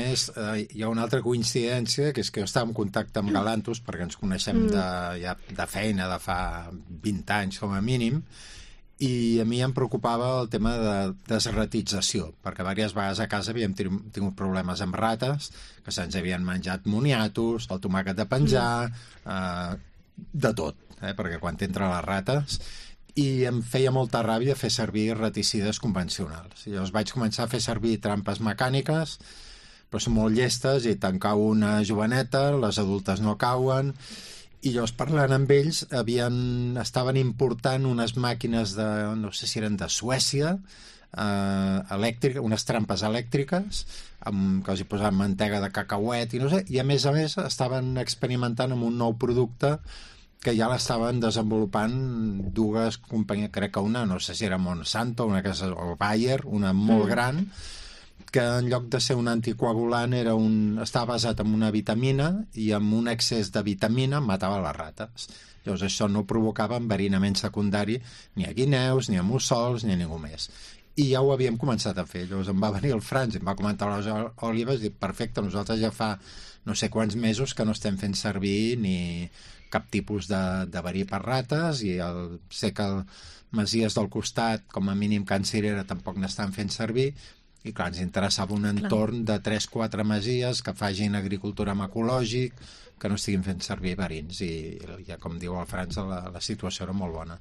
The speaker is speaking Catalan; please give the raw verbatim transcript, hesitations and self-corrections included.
més, eh, hi ha una altra coincidència, que és que jo estava en contacte amb Galantus, perquè ens coneixem de, ja, de feina de fa vint anys com a mínim, i a mi em preocupava el tema de desratització, perquè diverses vegades a casa havíem tingut problemes amb rates, que se'ns havien menjat moniatos, el tomàquet de penjar, eh, de tot, eh, perquè quan t'entren les rates... i em feia molta ràbia fer servir raticides convencionals. I llavors vaig començar a fer servir trampes mecàniques, però són molt llestes i te'n cau una joveneta, les adultes no cauen, i llavors parlant amb ells havien, estaven important unes màquines de, no sé si eren de Suècia, eh, elèctrica, unes trampes elèctriques amb, que els hi posaven mantega de cacauet i no sé, i a més a més estaven experimentant amb un nou producte que ja l'estaven desenvolupant dues companyies, crec que una, no sé si era Monsanto, una que és el Bayer, una molt mm. gran, que en lloc de ser un anticoagulant era un, estava basat en una vitamina i amb un excés de vitamina matava les rates. Llavors això no provocava enverinament secundari ni a guineus, ni a mussols, ni a ningú més. I ja ho havíem començat a fer. Llavors em va venir el Franz i em va comentar les olives i dic, perfecte, nosaltres ja fa no sé quants mesos que no estem fent servir ni cap tipus de, de verí per rates i el, sé que el Masies del costat, com a mínim Can Cirera, tampoc n'estan fent servir i clar, ens interessava un entorn de tres quatre masies que facin agricultura amb ecològic, que no estiguin fent servir verins i ja com diu el Franz la, la situació era molt bona.